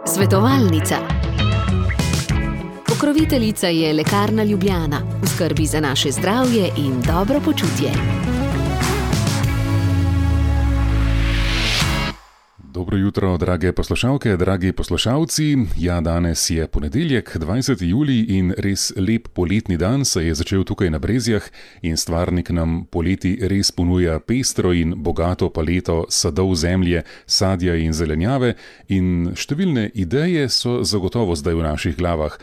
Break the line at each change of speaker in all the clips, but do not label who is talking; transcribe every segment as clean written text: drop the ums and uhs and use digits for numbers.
Svetovalnica. Pokroviteljica je Lekarna Ljubljana, v skrbi za naše zdravje in dobro počutje.
Dobro jutro, drage poslušalke, dragi poslušalci. Ja, danes je ponedeljek, 20. julij in res lep poletni dan se je začel tukaj na Brezjah in Stvarnik nam poleti res ponuja pestro in bogato paleto sadov zemlje, sadja in zelenjave in številne ideje so zagotovo zdaj v naših glavah.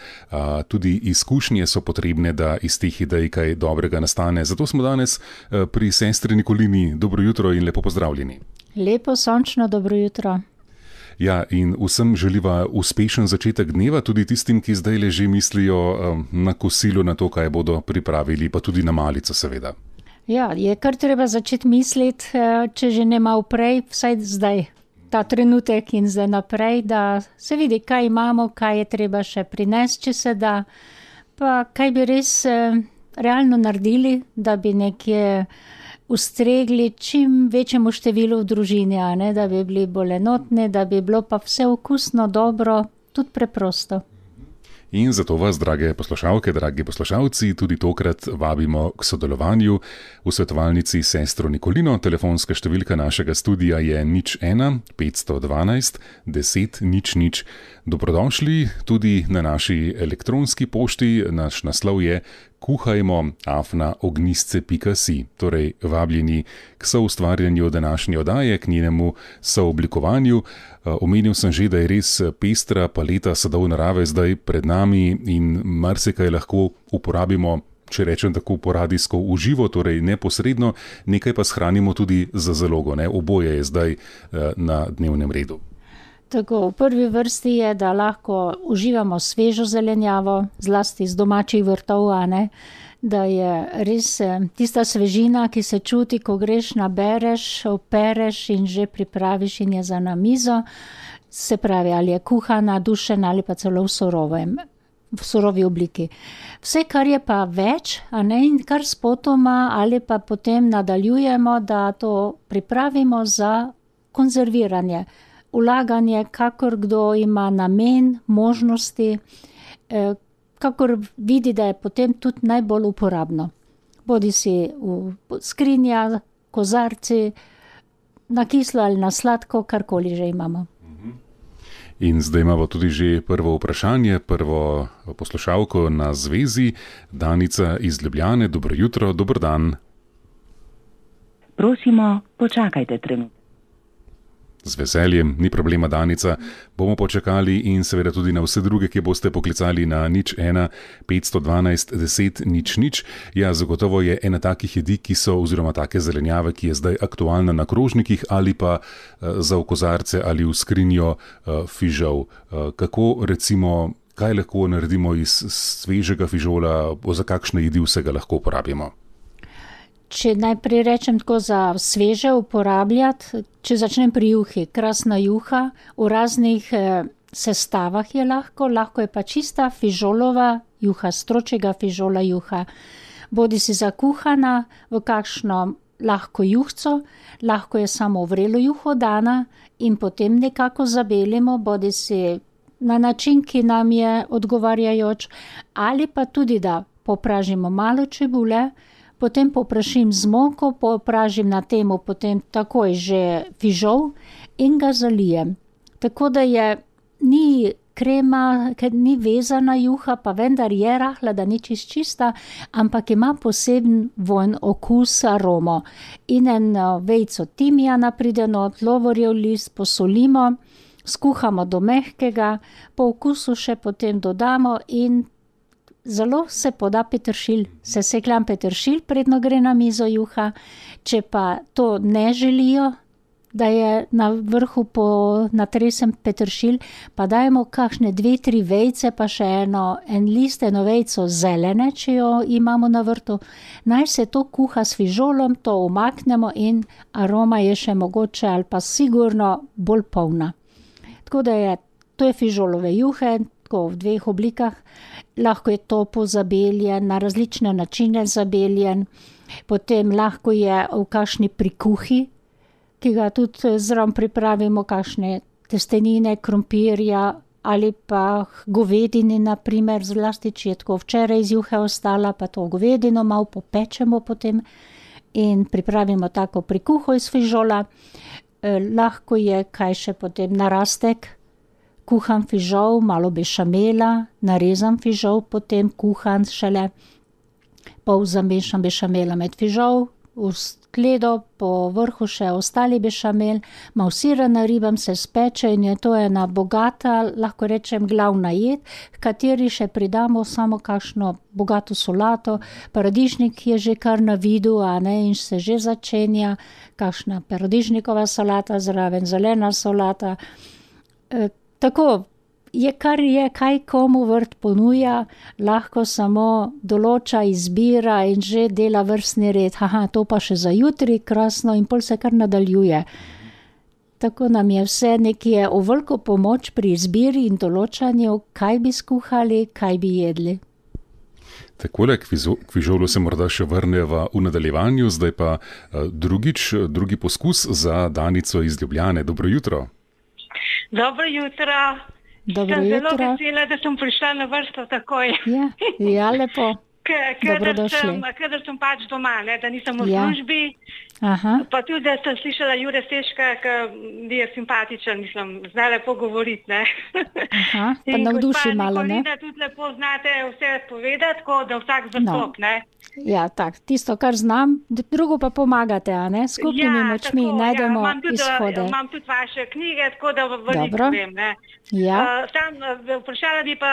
Tudi izkušnje so potrebne, da iz teh idej kaj dobrega nastane. Zato smo danes pri sestri Nikolini. Dobro jutro in lepo pozdravljeni.
Lepo, sončno, dobro jutro.
Ja, in vsem želiva uspešen začetek dneva, tudi tistim, ki zdaj le že mislijo na kosilo, na to, kaj bodo pripravili, pa tudi na malico, seveda.
Ja, je kar treba začeti misliti, če že ne malo prej, vsaj zdaj, ta trenutek in zdaj naprej, da se vidi, kaj imamo, kaj je treba še prinesti, če se da, pa kaj bi res realno naredili, da bi nekje ustregli čim večjemu številu v družini, da bi bili bolj enotni, da bi bilo pa vse okusno, dobro, tudi preprosto.
In zato vas, drage poslušalke, dragi poslušalci, tudi tokrat vabimo k sodelovanju v svetovalnici sestro Nikolino. Telefonska številka našega studia je 01 512 10 00. Dobrodošli tudi na naši elektronski pošti. Naš naslov je kuhajmo@ognisce.si. Torej, vabljeni k soustvarjanju današnje oddaje, k njenemu sooblikovanju. Omenil sem že, da je res pestra paleta sadov narave zdaj pred nami in marsikaj lahko uporabimo, če rečem tako, poradijsko uživo, torej neposredno, nekaj pa shranimo tudi za zalogo. Oboje je zdaj na dnevnem redu.
Tako, v prvi vrsti je, da lahko uživamo svežo zelenjavo, zlasti iz domačih vrtov, da je res tista svežina, ki se čuti, ko greš, nabereš, opereš in že pripraviš in je za na mizo. Se pravi, ali je kuhana, dušena ali pa celo v surovi obliki. Vse, kar je pa več, in kar spotoma ali pa potem nadaljujemo, da to pripravimo za konzerviranje. Vlaganje, kakor kdo ima namen, možnosti, kakor vidi, da je potem tudi najbolj uporabno. Bodi si v skrinja, kozarci, na kislo ali na sladko, karkoli že imamo.
In zdaj imamo tudi že prvo vprašanje, prvo poslušalko na zvezi. Danica iz Ljubljane, dobro jutro, dober dan.
Prosimo, počakajte trenutek.
Z veseljem, ni problema, Danica. Bomo počakali in seveda tudi na vse druge, ki boste poklicali na 01 512 10 00. Ja, zagotovo je ena takih jedi, ki so, oziroma take zelenjave, ki je zdaj aktualna na krožnikih ali pa za v kozarce ali v skrinjo fižol. Kako recimo, kaj lahko naredimo iz svežega fižola, za kakšne jedi vsega lahko uporabimo?
Če najprej rečem tako za sveže uporabljati, če začnem pri juhi, krasna juha, v raznih sestavah je lahko je pa čista fižolova juha, stročjega fižola juha. Bodi si zakuhana v kakšno lahko juhco, lahko je samo vrelo juho dana in potem nekako zabelimo, bodi si na način, ki nam je odgovarjajoč, ali pa tudi, da popražimo malo čebule, potem poprašim z moko, popražim na temu potem takoj že fižol in ga zalijem. Tako da ni krema, ker ni vezana juha, pa vendar je rahla, da ni čista, ampak ima poseben vonj, okus, aromo. In eno vejico timijana prideno, lovorjev list, posolimo, skuhamo do mehkega, po okusu še potem dodamo in zelo se poda peteršilj, sesekljan peteršilj, predno gre na mizo juha. Če pa to ne želijo, da je na vrhu natresen peteršilj, pa dajemo kakšne 2-3 vejice, pa še en list, eno vejico zelene, če jo imamo na vrtu. Naj se to kuha s fižolom, to umaknemo in aroma je še mogoče ali pa sigurno bolj polna. Tako da to je fižolove juhe, tako v 2 oblikah. Lahko je topo zabeljen, na različne načine zabeljen, potem lahko je v kakšni prikuhi, ki ga tudi zraven pripravimo, kakšne testenine, krompirja ali pa govedini, na primer, zlasti, če je tako včeraj iz juhe ostala, pa to govedino malo popečemo potem in pripravimo tako prikuho iz fižola. Lahko je kaj še potem narastek, kuhan fižol, malo bešamela, narezan fižol, potem kuhan šele, pol zamešam bešamela med fižol, v skledo, po vrhu še ostali bešamel, malo sira naribam, se speče in je to ena bogata, lahko rečem, glavna jed, v kateri še pridamo samo kakšno bogato solato, paradižnik je že kar na vidu, a ne, in se že začenja, kakšna paradižnikova solata zraven, zelena solata. Tako, je kar je, kaj komu vrt ponuja, lahko samo določa, izbira in že dela vrstni red. To pa še za jutri, krasno, in pol se kar nadaljuje. Tako nam je vse nekje v veliko pomoč pri izbiri in določanju, kaj bi skuhali, kaj bi jedli.
Takole, k fižolu se morda še vrneva v nadaljevanju, zdaj pa drugi poskus za Danico iz Ljubljane. Dobro jutro.
Dobro jutro.
Dobro
sem
jutro.
Zelo vesela, da sem prišla na vrsto takoj.
Ja, lepo.
Kadar sem pač doma, ne, da nisem v službi. Pa tudi, da sem slišala Jure Seška, ki je simpatičen, zna lepo govoriti. Ne.
Pa navduši malo, ne?
In gospa Nikolina tudi lepo znate vse povedati, tako da vsak zastop, ne.
Ja, tak, tisto, kar znam, drugo pa pomagate, a ne? Skupnimi močmi najdemo izhode.
Imam tudi vaše knjige, tako da veliko vem, ne.
Ja.
Vprašala bi pa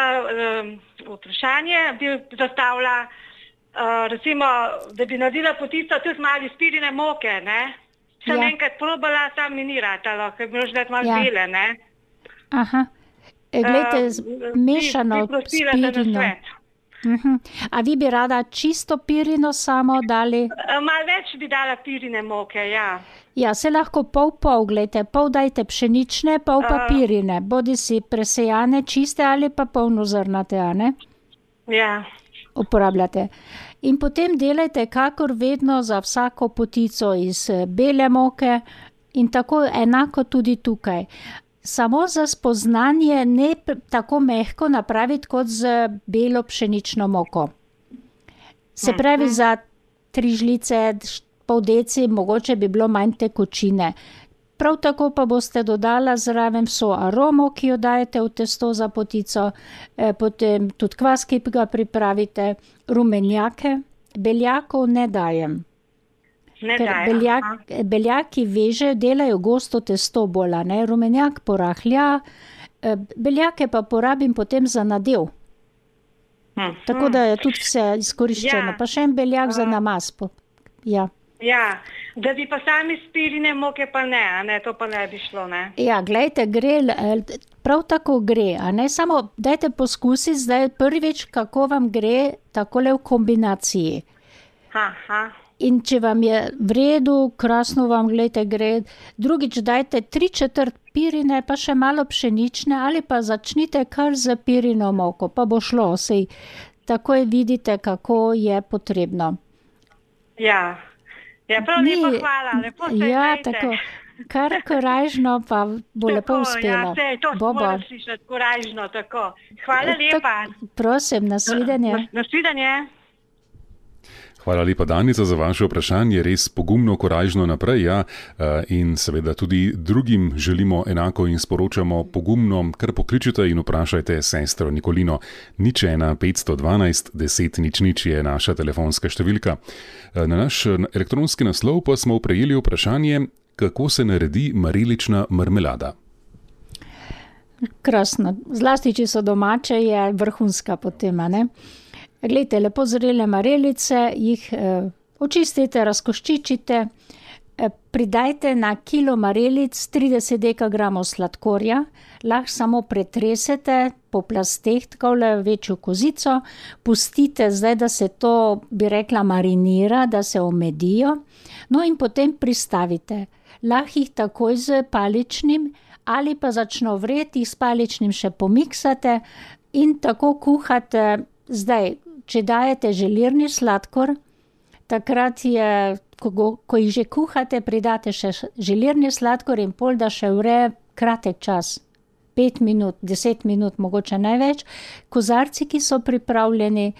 vprašanje, bi zastavila, recimo, da bi naredila potico tudi malo iz pirine moke, ne. Sem enkrat probala, tam mi ni ratalo, ker bi možda malo bele, ne.
Glejte, mešano s pirino. A vi bi rada čisto pirino samo dali?
Malo več bi dala pirine moke, ja.
Ja, se lahko pol, glejte, pol dajte pšenične, pol pa pirine, bodi si presejane, čiste ali pa polnozrnate, a ne?
Ja.
Uporabljate. In potem delajte kakor vedno za vsako potico iz bele moke in tako enako tudi tukaj. Samo za spoznanje ne tako mehko napraviti kot z belo pšenično moko. Se pravi, za 3 žlice, pol deci, mogoče bi bilo manj tekočine. Prav tako pa boste dodala zraven vso aromo, ki jo dajete v testo za potico, potem tudi kvas, ki ga pripravite, rumenjake, beljakov ne dajem. Ker beljaki vežejo, delajo gosto testo bolj, ne, rumenjak porahlja, beljake pa porabim potem za nadev. Tako da je tudi vse izkoriščeno, pa še en beljak za namaz. Ja,
da bi pa sami s pirine moke pa ne, to pa ne bi šlo, ne.
Ja, glejte, gre, prav tako gre, a ne, samo dajte poskusiti zdaj prvič, kako vam gre takole v kombinaciji. In če vam je v redu, krasno vam, glejte, gre, drugič dajte 3/4 pirine, pa še malo pšenične, ali pa začnite kar z pirino moko, pa bo šlo, sej takoj vidite, kako je potrebno.
Ja, prav lepo hvala, lepo se imejte.
Tako, kar korajžno, pa bo lepo uspelo.
Ja, to moram slišati, korajžno, tako. Hvala lepa.
Prosim, nasvidenje.
Nasvidenje.
Hvala lepa, Danica, za vaše vprašanje, res pogumno, korajžno naprej, ja, in seveda tudi drugim želimo enako in sporočamo pogumno, kar pokličite in vprašajte sestro Nikolino. 01 512 10 00 je naša telefonska številka. Na naš elektronski naslov pa smo prejeli vprašanje, kako se naredi marelična marmelada.
Krasno, zlasti, če so domače, je vrhunska potem, ne? Glejte, lepo zrele marelice, jih očistite, razkoščičite, pridajte na kilo marelic 30 dekagramov sladkorja, lahko samo pretresete po plasteh, takole večjo kozico, pustite zdaj, da se to, bi rekla, marinira, da se omedijo, no in potem pristavite. Lahko jih takoj z paličnim ali pa začno vreti, s paličnim še pomiksate in tako kuhate. Zdaj, če dajete želirni sladkor, takrat je ko jih že kuhate, pridate še želirni sladkor in pol, da še vre kratek čas. 5 minut, 10 minut, mogoče največ. Kozarci, ki so pripravljeni,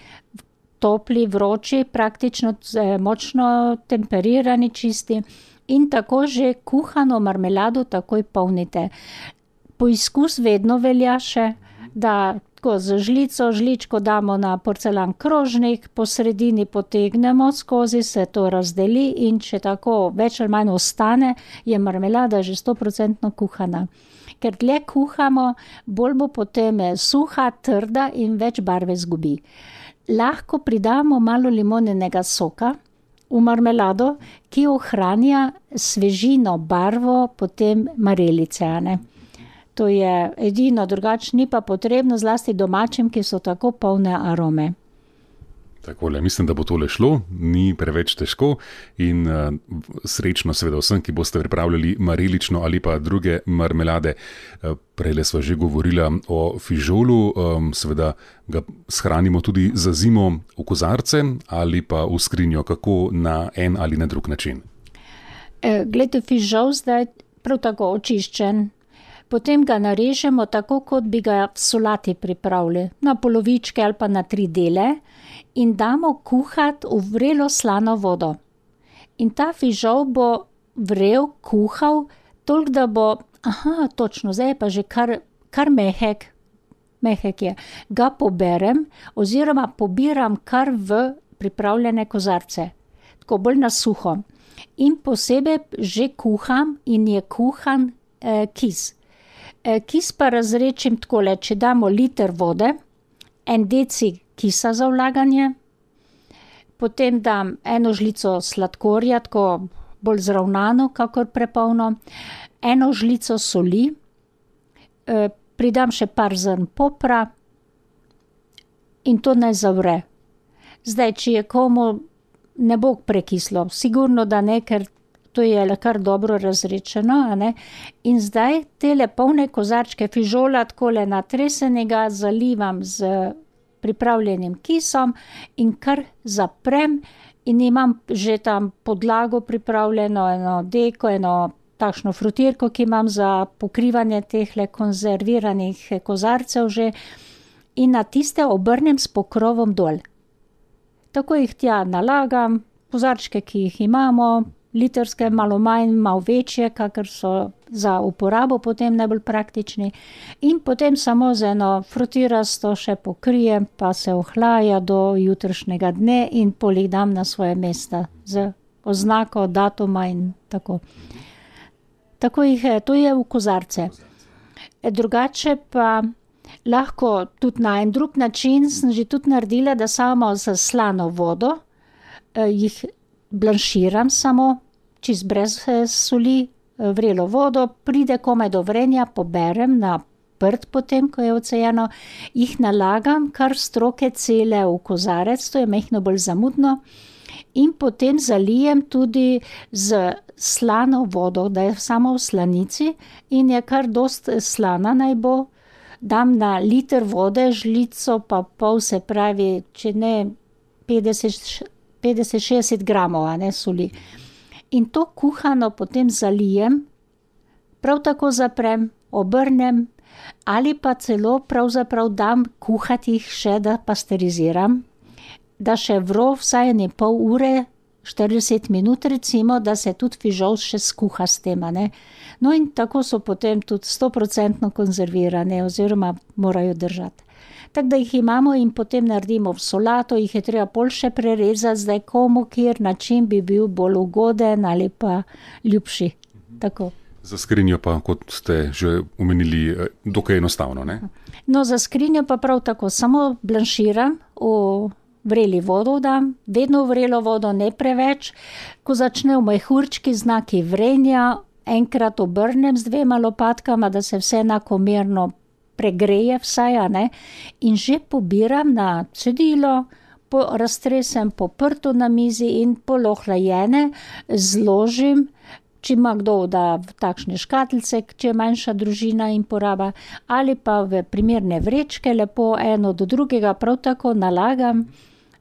topli, vroči, praktično močno temperirani, čisti in tako že kuhano marmelado takoj polnite. Poizkus vedno velja še, da tako z žličko damo na porcelan krožnik, po sredini potegnemo skozi, se to razdeli in če tako več ali manj ostane, je marmelada že 100% kuhana. Ker dlje kuhamo, bolj bo potem suha, trda in več barve zgubi. Lahko pridamo malo limonenega soka v marmelado, ki ohranja svežino, barvo, potem marelice, ne. To je edino, drugače ni pa potrebno, zlasti domačim, ki so tako polne arome.
Takole, mislim, da bo tole šlo, ni preveč težko in srečno seveda vsem, ki boste pripravljali marelično ali pa druge marmelade. Prejle sva že govorila o fižolu, seveda ga shranimo tudi za zimo v kozarce ali pa v skrinjo, kako na en ali na drug način.
Glejte, fižol zdaj prav tako očiščen. Potem ga narežemo tako, kot bi ga v solati pripravili, na polovičke ali pa na 3 dele in damo kuhati v vrelo slano vodo. In ta fižol bo vrel, kuhal, toliko da bo, točno, zdaj je pa že kar mehek je. Ga poberem oziroma pobiram kar v pripravljene kozarce, tako bolj na suho. In posebej že kuham in je kuhan kis. Kis pa razrečim takole, če damo liter vode, 1 deci kisa za vlaganje, potem dam 1 žlico sladkorja, tako bolj zravnano, kakor prepolno, 1 žlico soli, pridam še par zrn popra in to naj zavre. Zdaj, če je komu ne bo prekislo, sigurno da ne, ker to je kar dobro razrečeno, a ne. In zdaj tele polne kozarčke fižola takole natresenega zalivam z pripravljenim kisom in kar zaprem in imam že tam podlago pripravljeno, eno deko, eno takšno frutirko, ki imam za pokrivanje tehle konzerviranih kozarcev že in na tiste obrnem s pokrovom dol. Tako jih tja nalagam, kozarčke, ki jih imamo, litrske, malo manj, malo večje, kakor so za uporabo potem najbolj praktični. In potem samo z eno frutirasto še pokrijem, pa se ohlaja do jutrišnjega dne in pol jih dam na svoje mesta z oznako datuma in tako. Tako jih, to je v kozarce. Drugače pa lahko tudi na en drug način sem že tudi naredila, da samo z slano vodo jih blanširam samo, čist brez soli, vrelo vodo, pride komaj do vrenja, poberem na prt potem, ko je ocejeno, jih nalagam kar stroke cele v kozarec, to je majhno bolj zamudno, in potem zalijem tudi z slano vodo, da je samo v slanici in je kar dost slana naj bo. Dam na liter vode žlico pa pol, se pravi, če ne 50-60 gramov, a ne, soli. In to kuhano potem zalijem, prav tako zaprem, obrnem ali pa celo pravzaprav dam kuhati jih še, da pasteriziram, da še vro vsaj 1,5 ure, 40 minut recimo, da se tudi fižol še skuha s tem, a ne. No in tako so potem tudi 100% konzervirane oziroma morajo držati. Tako da jih imamo in potem naredimo v solato, jih je treba pol še prerezati, zdaj komu kjer način bi bil bolj ugoden ali pa ljubši. Tako.
Za skrinjo pa, kot ste že omenili, dokaj enostavno, ne?
No, za skrinjo pa prav tako, samo blanširam, v vreli vodo dam, vedno v vrelo vodo, ne preveč. Ko začne v mehurčki znaki vrenja, enkrat obrnem z 2 lopatkama, da se vse enakomerno pregreje vsaj, a ne, in že pobiram na cedilo, raztresem po prtu na mizi in polohlajene zložim, če ima kdo da v takšne škatlice, če je manjša družina in poraba, ali pa v primerne vrečke, lepo eno do drugega prav tako nalagam,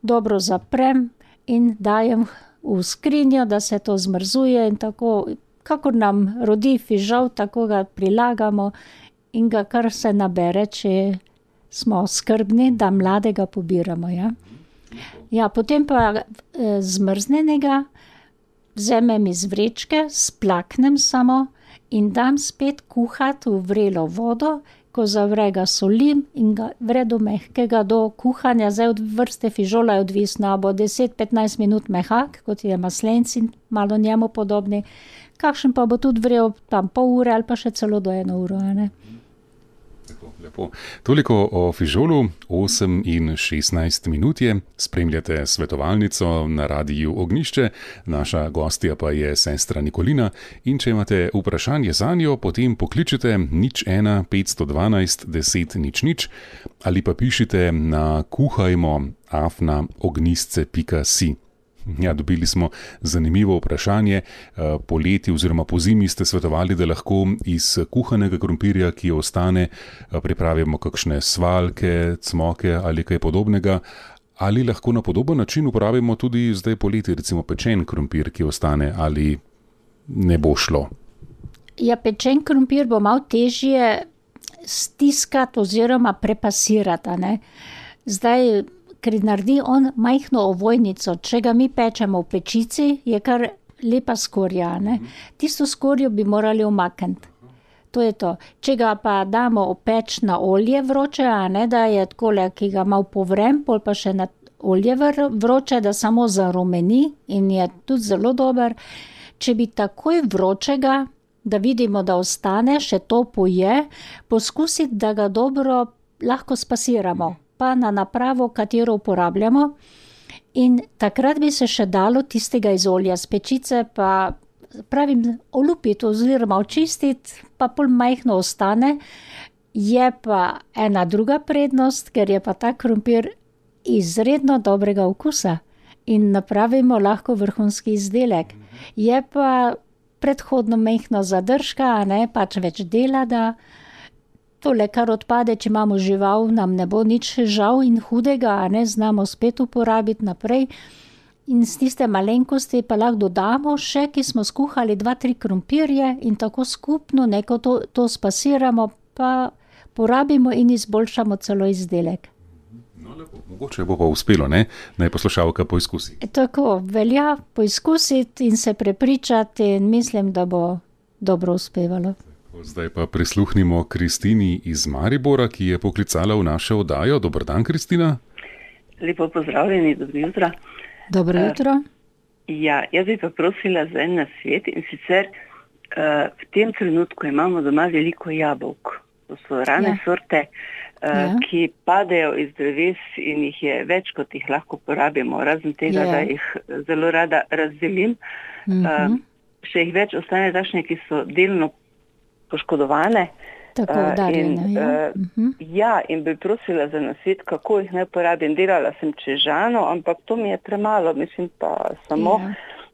dobro zaprem in dajem v skrinjo, da se to zmrzuje in tako, kakor nam rodi fižol, tako ga prilagamo in ga kar se nabere, če smo skrbni, da mladega pobiramo, ja. Ja, potem pa zmrznenega vzamem iz vrečke, splaknem samo in dam spet kuhati v vrelo vodo, ko zavre ga solim in ga vre do mehkega, do kuhanja. Zdaj od vrste fižola je odvisno, bo 10-15 minut mehak, kot je maslenci, malo njemu podobni. Kakšen pa bo tudi vrel tam pol ure ali pa še celo do 1 uro, ne?
Lepo. Toliko o fižolu, 8 in 16 minut je. Spremljate svetovalnico na Radiu Ognjišče, naša gostja pa je sestra Nikolina. In če imate vprašanje zanjo, potem pokličite 01 512 10 00 ali pa pišite na kuhajmo@ognjisce.si. Ja, dobili smo zanimivo vprašanje. Poleti oziroma pozimi ste svetovali, da lahko iz kuhanega krompirja, ki ostane, pripravimo kakšne svaljke, cmoke ali kaj podobnega. Ali lahko na podoben način uporabimo tudi zdaj poleti, recimo pečen krompir, ki ostane, ali ne bo šlo?
Ja, pečen krompir bo malo težje stiskati oziroma prepasirati, ne. Zdaj, ker naredi on majhno ovojnico, če ga mi pečemo v pečici, je kar lepa skorja, ne. Tisto skorjo bi morali umakniti. To je to. Če ga pa damo opeč na olje vroče, a ne, da je takole, ki ga malo povrem, pol pa še na olje vroče, da samo zarumeni in je tudi zelo dober. Če bi takoj vročega, da vidimo, da ostane, še topo je, poskusiti, da ga dobro lahko spasiramo, pa na napravo, katero uporabljamo. In takrat bi se še dalo tistega iz olja z pečice, pa pravim, olupiti oziroma očistiti, pa pol majhno ostane. Je pa ena druga prednost, ker je pa ta krompir izredno dobrega okusa in napravimo lahko vrhunski izdelek. Je pa predhodno majhno zadržka, a ne, pač več dela, da tole, kar odpade, če imamo žival, nam ne bo nič žal in hudega, a ne, znamo spet uporabiti naprej. In z tiste malenkosti pa lahko dodamo še, ki smo skuhali 2-3 krompirje in tako skupno neko to spasiramo, pa porabimo in izboljšamo celo izdelek.
No, lepo. Mogoče bo pa uspelo, ne? Naj poslušalka poizkusi.
Tako, velja poizkusiti in se prepričati in mislim, da bo dobro uspevalo.
Zdaj pa prisluhnimo Kristini iz Maribora, ki je poklicala v našo oddajo. Dober dan, Kristina.
Lepo pozdravljeni, dobro jutro.
Dobro jutro.
Ja, jaz bi pa prosila za en nasvet in sicer v tem trenutku imamo doma veliko jabolk. To so rane sorte, ki padejo iz dreves in jih je več, kot jih lahko porabimo. Razen tega, da jih zelo rada razdelim. Še jih več ostane takšne, ki so delno poškodovane.
Tako udarjene,
in bi prosila za nasvet, kako jih naj porabim. Delala sem čežano, ampak to mi je premalo, mislim pa samo...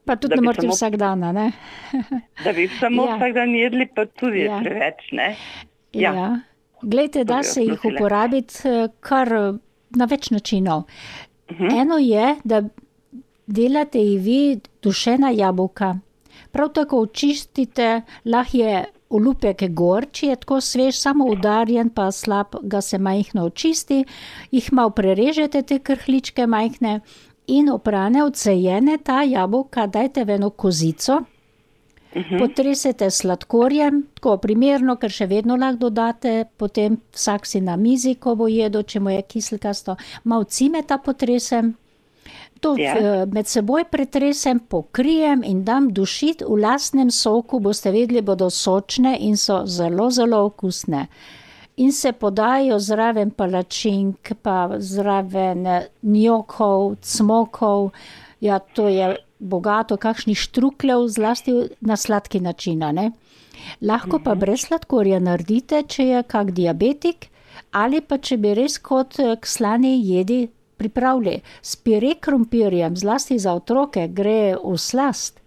Pa tudi ne morate vsak dan, ne?
Da bi samo vsak dan jedli, pa tudi je preveč, ne?
Glejte, da se jih uporabiti kar na več načinov. Eno je, da delate jih vi dušena jabolka. Prav tako očistite, lahko je olupek gor, če je tako svež, samo udarjen, pa slab, ga se majhno očisti, jih malo prerežete, te krhličke majhne in oprane, odsejene ta jabolka, dajte v eno kozico, potresete sladkorjem, tako primerno, ker še vedno lahko dodate, potem vsak si na mizi, ko bo jedel, če mu je kiselkasto, malo cimeta potresem, to med seboj pretresem, pokrijem in dam dušiti v lastnem soku, boste vedeli, bodo sočne in so zelo, zelo okusne. In se podajo zraven palačink, pa zraven njokov, cmokov, ja, to je bogato, kakšnih štrukljev, zlasti na sladki način, ne. Lahko pa brez sladkorja naredite, če je kak diabetik, ali pa če bi res kot k slani jedi pripravili. S pire krompirjem, zlasti za otroke, gre v slast.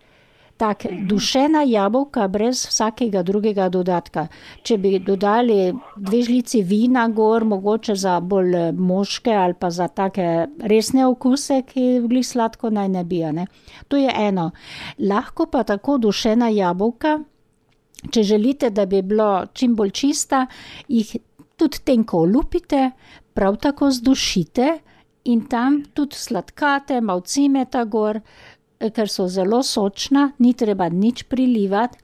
tak, dušena jabolka brez vsakega drugega dodatka. Če bi dodali 2 žlici vina gor, mogoče za bolj moške ali pa za take resne okuse, ki glih sladko naj ne bi, ne. To je eno. Lahko pa tako dušena jabolka, če želite, da bi bilo čim bolj čista, jih tudi tenko olupite, prav tako zdušite in tam tudi sladkate, malo cimeta gor, ker so zelo sočna, ni treba nič prilivati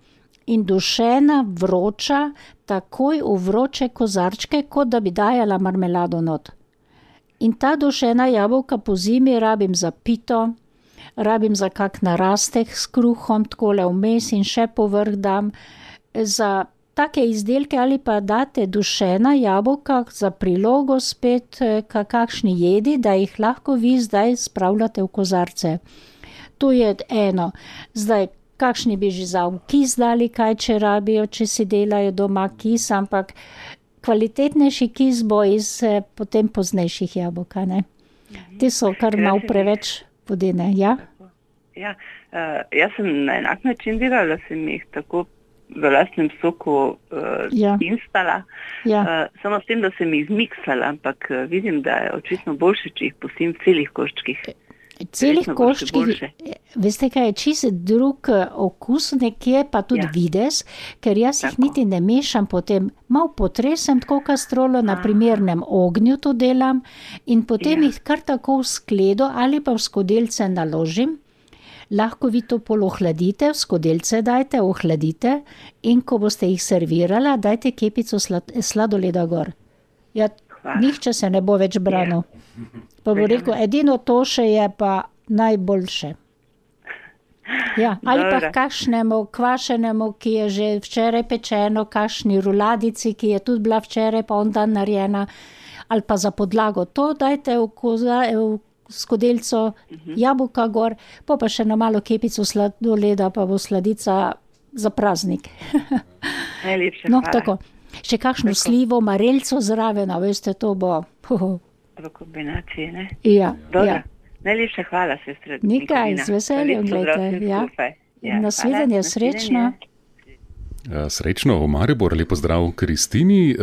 in dušena, vroča, takoj v vroče kozarčke, kot da bi dajala marmelado not. In ta dušena jabolka po zimi rabim za pito, rabim za kak narastek s kruhom, takole vmes in še povrh dam. Za take izdelke ali pa date dušena jabolka za prilogo spet kakšni jedi, da jih lahko vi zdaj spravljate v kozarce. To je eno. Zdaj, kakšni bi že za kis dali, kaj če rabijo, če si delajo doma kis, ampak kvalitetnejši kis bo iz potem poznejših jabolka, ne. Te so kar malo preveč vodene, ja?
Ja, jaz sem na enak način delala, sem jih tako v lastnem soku instala, samo s tem, da sem jih zmiksala, ampak vidim, da je očitno boljše, če jih pustim v celih koščkih.
Celih koščkih, veste kaj, je čisto drug okus nekje, pa tudi videz, ker jaz jih niti ne mešam potem, malo potresem tako kastrolo, na primernem ognju to delam in potem jih kar tako v skledo ali pa v skodelice naložim. Lahko vi to pol ohladite, v skodelice dajte, ohladite in ko boste jih servirala, dajte kepico sladoleda gor. Ja, nihče se ne bo več branil. Pa bo rekel, edino to še je pa najboljše. Ja, ali pa kakšnemu kvašenemu, ki je že včeraj pečeno, kakšni ruladici, ki je tudi bila včeraj pa on dan narejena, ali pa za podlago to dajte v skodelico, jabolka gor, pa še na malo kepico sladoleda, pa bo sladica za praznik.
Najlepša hvala.
Tako. Še kakšno slivo, marelco zraven, veste, to bo.
V kombinaciji, ne?
Ja.
Najlepša hvala, sestra.
Nikaj, z veseljem, gledajte. Ja. Nasvidenje, srečno.
Srečno v Maribor, lepo zdrav Kristini.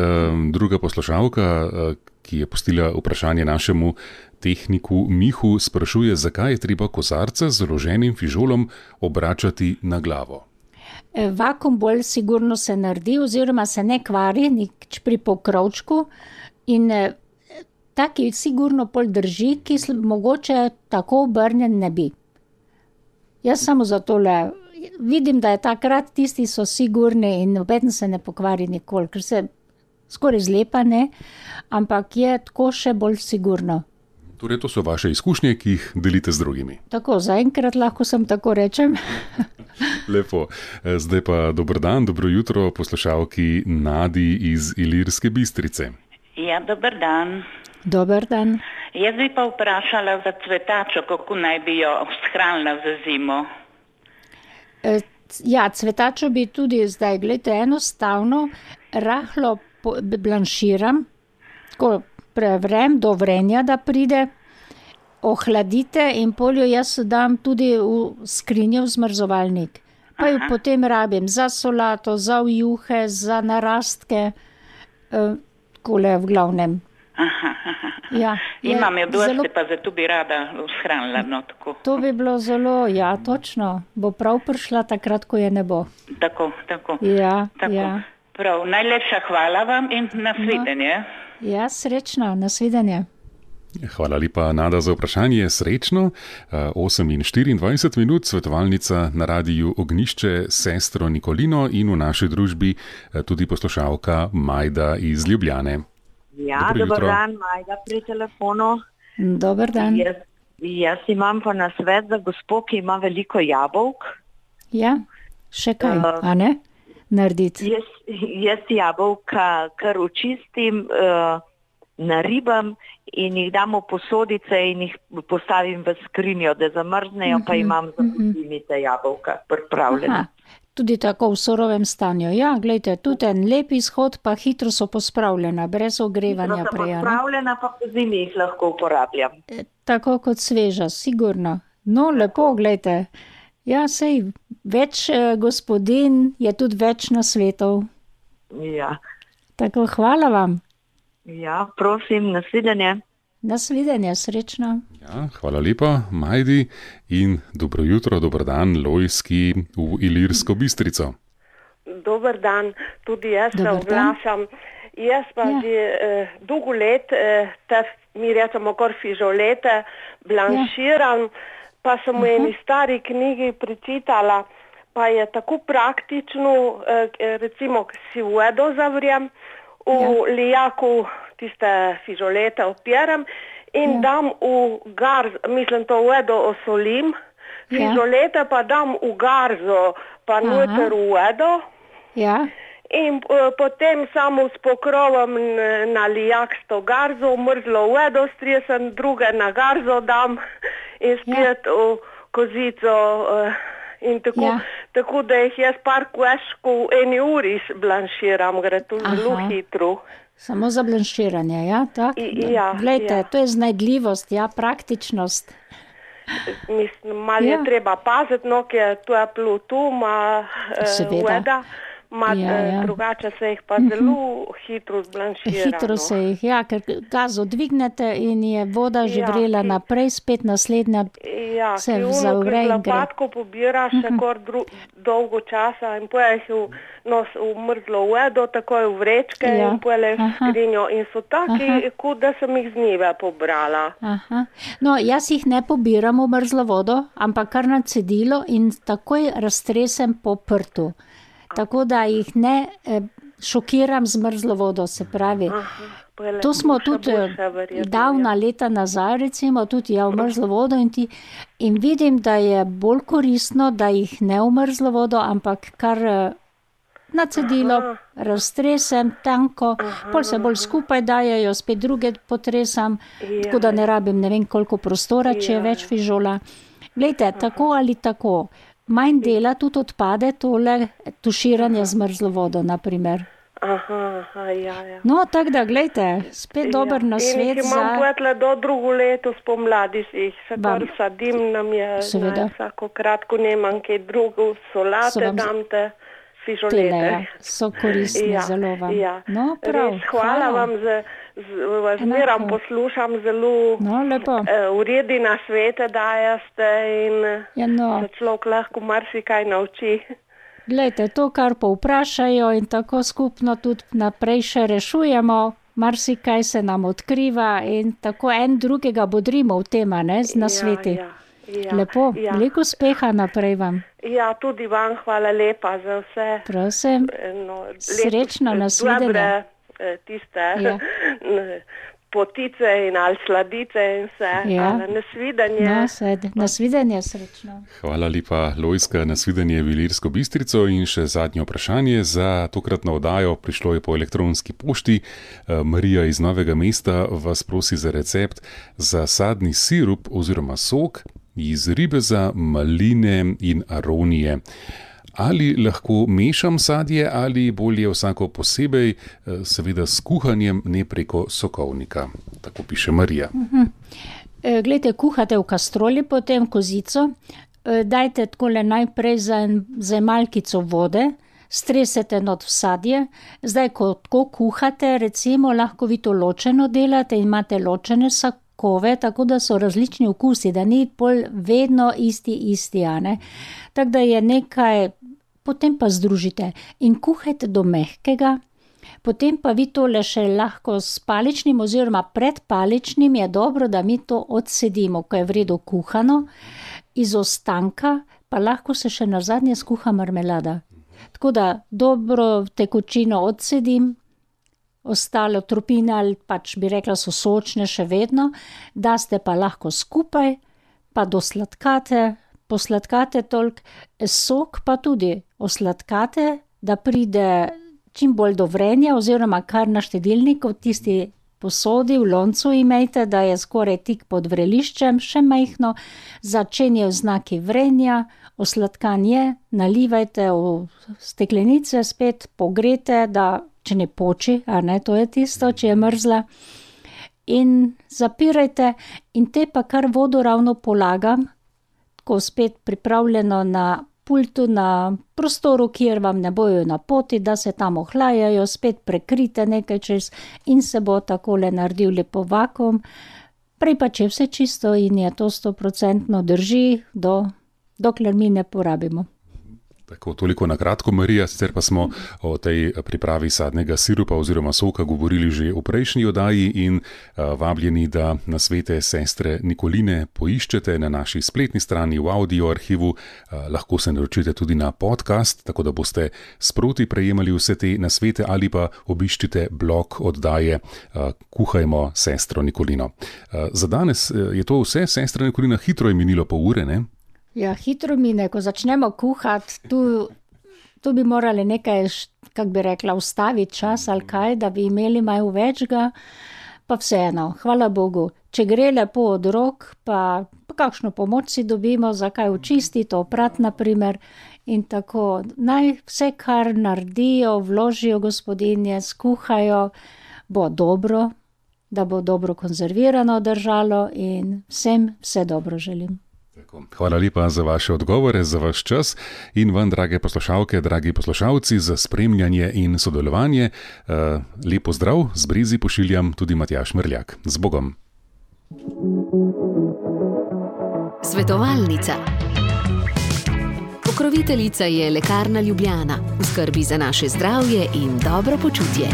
Druga poslušalka, ki je postila vprašanje našemu tehniku Mihu, sprašuje, zakaj je treba kozarca z založenim fižolom obračati na glavo.
Vakuum bolj sigurno se naredi oziroma se ne kvari nič pri pokrovčku in taki sigurno pol drži, ki mogoče tako obrnjen ne bi. Jaz samo za tole vidim, da je takrat tisti so sigurni in nobeden se ne pokvari nikoli, ker se skoraj zlepa ne, ampak je tako še bolj sigurno.
Torej, to so vaše izkušnje, ki jih delite z drugimi.
Tako, zaenkrat lahko sem tako rečem.
Lepo. Zdaj pa dober dan, dobro jutro poslušalki Nadi iz Ilirske Bistrice.
Ja, dober dan.
Dober dan.
Jaz bi pa vprašala za cvetačo, kako naj bi jo shranila za zimo.
Ja, cvetačo bi tudi zdaj, gledajte, enostavno, rahlo blanširam, tako prevrem do vrenja, da pride, ohladite in poljo jaz dam tudi v skrinjo v zmrzovalnik. Pa jo potem rabim za solato, za vjuhe, za narastke, takole v glavnem. Ja,
imam jo dosti, pa zato bi rada shranila. No, tako.
To bi bilo zelo, ja, točno. Bo prav prišla takrat, ko je ne bo.
Tako.
Ja,
tako.
Ja.
Prav, najlepša hvala vam in nasvidenje.
Ja, srečno, nasvidenje.
Hvala lepa, Nada, za vprašanje. Srečno. 8:24 minut, svetovalnica na radiju Ognjišče, sestro Nikolino in v naši družbi tudi poslušalka Majda iz Ljubljane.
Ja, dober dan, Majda pri telefonu.
Dober dan.
Jaz imam pa nasvet za gospo, ki ima veliko jabolk.
Ja, še kaj, a ne? Narediti.
Jaz jabolka kar očistim, naribam in jih dam v posodice in jih postavim v skrinjo, da zamrznejo, pa imam za zimite jabolka pripravljena.
Tudi tako v surovem stanju. Ja, gledajte, tudi en lep izhod, pa hitro so pospravljena, brez ogrevanja
Hitro so
prej.
pospravljena, pa po zimi jih lahko uporabljam.
Tako kot sveža, sigurno. No, lepo, gledajte. Ja, sej, več gospodin je tudi več nasvetov.
Ja.
Tako, hvala vam.
Ja, prosim, nasvidenje.
Nasvidenje, srečno.
Ja, hvala lepa, Majdi, in dobro jutro, dober dan, Lojski v Ilirsko Bistrico.
Dober dan, tudi jaz se oglašam. Jaz pa že dolgo let, mi rečemo kar fižolete, blanširam, pa sem v eni stari knjigi prečitala, pa je tako praktično, recimo si vodo zavrjem, v lijaku tiste fižolete opiram in dam v garzo, mislim to vodo osolim, fižolete pa dam v garzo, pa noter v vodo.
Ja.
In potem samo s pokrovom na lijak s to garzo, mrzlo vodo stresem, druge na garzo dam in spet v kozico in tako, tako da jih jaz par kveškov v eni uri blanširam, gre to zelo hitro.
Samo za blanširanje, ja, tako? Glejte, to je znajdljivost, praktičnost.
Mislim, malo je treba paziti, no, ker je toplo tu, voda. Drugače se jih pa zelo hitro zblanšira.
Hitro se jih, ker gazo dvignete in je voda že vrela naprej, spet naslednja se zavre in gre.
Lapatko pobira še kar dolgo časa in pojeh v mrzlo vodo, takoj v vrečke in pojeh v skrinjo in so taki, kot da sem jih z njive pobrala.
No, jaz jih ne pobiram v mrzlo vodo, ampak kar na cedilo in takoj raztresem po prtu. Tako da jih ne šokiram z mrzlo vodo, se pravi. To smo tudi davna leta nazaj, recimo, tudi v mrzlo vodo in vidim, da je bolj koristno, da jih ne v mrzlo vodo, ampak kar na cedilo raztresem tanko, pol se bolj skupaj dajejo, spet druge potresam, tako da ne rabim ne vem koliko prostora, če je več fižola. Glejte, tako ali tako. Manj dela tudi odpade tole tuširanje z mrzlo vodo, naprimer. No, tako da, glejte, spet dober nasvet za...
In jih imam potle do drugo leto spomladi, si jih se kar sadim, nam je vsako kratko nemam kaj drugo, solate dam te fižolete.
So koristni zelo vam. No, prav,
hvala vam za... Zmeram poslušam zelo uredi na svete dajeste in se človek lahko marsikaj nauči.
Glejte, to, kar povprašajo in tako skupno tudi naprej še rešujemo, marsikaj se nam odkriva in tako en drugega bodrimo v tema, z nasveti. Lepo, veliko uspeha naprej vam.
Ja, tudi vam hvala lepa za vse.
Prosim, srečno, nasvidenje.
Tiste potice in ali sladice in vse, nasvidenje.
Nasvidenje, srečno.
Hvala lepa, Lojska, nasvidenje v Ilirsko Bistrico in še zadnje vprašanje za tokratno oddajo. Prišlo je po elektronski pošti. Marija iz Novega Mesta vas prosi za recept za sadni sirup oziroma sok iz ribeza, maline in aronije. Ali lahko mešam sadje ali bolje vsako posebej, seveda s kuhanjem, ne preko sokovnika. Tako piše Marija.
Glejte, kuhate v kastroli, potem kozico, dajte takole najprej za malkico vode, stresete not v sadje, zdaj ko tako kuhate, recimo lahko vi to ločeno delate in imate ločene sokove, tako da so različni okusi, da ni pol vedno isti, tako da je nekaj... Potem pa združite in kuhajte do mehkega, potem pa vi tole še lahko s paličnim oziroma pred paličnim je dobro, da mi to odsedimo, ko je v redu kuhano, iz ostanka pa lahko se še nazadnje skuha marmelada. Tako da dobro tekočino odsedim, ostale tropine ali pač bi rekla so sočne še vedno, daste pa lahko skupaj, pa posladkate toliko, sok pa tudi osladkate, da pride čim bolj do vrenja oziroma kar na štedilniku, tisti posodi v loncu imejte, da je skoraj tik pod vreliščem, še majhno, začenjajo znaki vrenja, osladkan je, nalivajte v steklenice, spet pogrete, da če ne poči, to je tisto, če je mrzla, in zapirajte in te pa kar vodo ravno polagam, lahko spet pripravljeno na pultu, na prostoru, kjer vam ne bojo na poti, da se tam ohlajajo, spet prekrite nekaj čez in se bo takole naredil lepo vakuum. Prej pa če vse čisto in je to 100% drži, dokler mi ne porabimo.
Tako, toliko na kratko, Marija, sicer pa smo o tej pripravi sadnega sirupa oziroma soka govorili že v prejšnji oddaji in vabljeni, da nasvete sestre Nikoline poiščete na naši spletni strani v audio arhivu, lahko se naročite tudi na podcast, tako da boste sproti prejemali vse te nasvete ali pa obiščite blog oddaje Kuhajmo sestro Nikolino. Za danes je to vse, sestra Nikolina, hitro je minilo pol ure, ne?
Ja, hitro mine, ko začnemo kuhati, tu bi morali nekaj, kak bi rekla, ustaviti čas ali kaj, da bi imeli malo večga, pa vseeno, hvala Bogu. Če gre lepo od rok, pa kakšno pomoč si dobimo, za kaj očistiti, oprat naprimer, in tako naj vse, kar naredijo, vložijo gospodinje, skuhajo, bo dobro, da bo dobro konzervirano držalo in vsem vse dobro želim.
Hvala lepa za vaše odgovore, za vaš čas in vam, drage poslušalke, dragi poslušalci, za spremljanje in sodelovanje. Lep pozdrav, z Brezi pošiljam tudi Matjaž Merljak. Z Bogom.
Svetovalnica. Pokroviteljica je Lekarna Ljubljana. V skrbi za naše zdravje in dobro počutje.